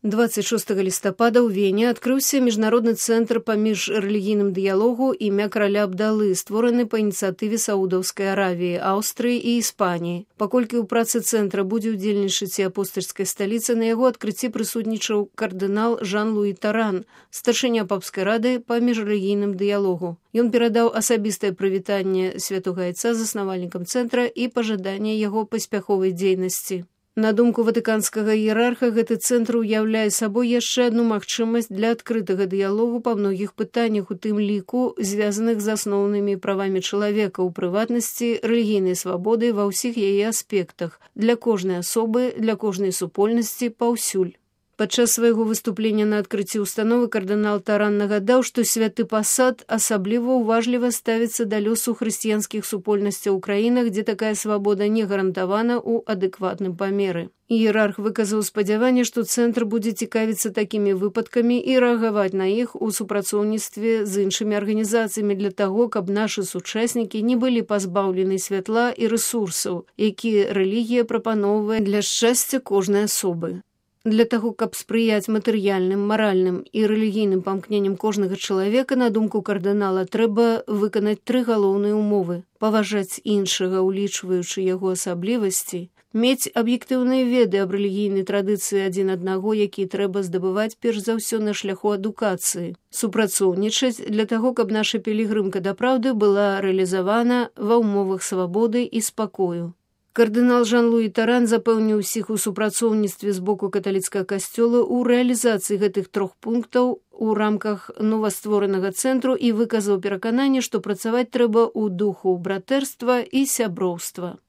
26 лістапада ў Вене адкрыўся міжнародны цэнтр па міжрэлігійным дыялогу імя караля Абдалы, створаны па ініцыятыве Саудаўскай Аравіі, Аўстрыі і Іспаніі. Паколькі ў працы цэнтра будзе ўдзельнічаць і апостальскай сталіцы, на яго адкрыцці прысутнічаў кардынал Жан-Луі Таран, старшыня папскай рады па міжрэлігійным дыялогу. Ён перадаў асабістае прывітанне святога айца заснавальнікам цэнтра і пажаданне яго паспяховай дзейнасці. На думку ватыканскага іерарха, гэты цэнтр уяўляе сабой яшчэ адну магчымасць для адкрытага дыялогу па многіх пытаннях, у тым ліку, звязаных з асноўнымі правамі чалавека, у прыватнасці, рэлігійнай свабоды ва ўсіх яе аспектах, для кожнай асобы, для кожнай супольнасці, паўсюль. Падчас свайго выступлення на адкрыцці установы кардынал Таран нагадаў, што святы пасад асабліва уважліва ставіцца да лёсу хрысціянскіх супольнасцяў у краінах, дзе такая свабода не гарантавана ў адэкватным памеры. Іерарх выказаў спадзяванне, што цэнтр будзе цікавіцца такімі выпадкамі і рэагаваць на іх у супрацоўніцтве з іншымі арганізацыямі для таго, каб нашы сучаснікі не былі пазбаўлены святла і рэсурсаў, якія рэлігія прапаноўвае для шчасця кожнай асобы. Для таго, каб спрыяць матэрыяльным, маральным і рэлігійным памкненням кожнага чалавека, на думку кардынала, трэба выканаць 3 галоўныя умовы: паважаць іншага, улічваючы яго асаблівасці, мець аб'ектыўныя веды аб рэлігійнай традыцыі адзін аднаго, якія трэба здабываць перш за ўсё на шляху адукацыі, супрацоўнічаць для таго, каб наша пілігрымка да праўды была рэалізавана ва ўмовах свабоды і спакою. Кардынал Жан-Луі Таран запэўніў усіх у супрацоўніцтве з боку каталіцкага касцёла ў рэалізацыі гэтых 3 пунктаў у рамках новастворанага цэнтру і выказаў перакананне, што працаваць трэба ў духу братэрства і сяброўства.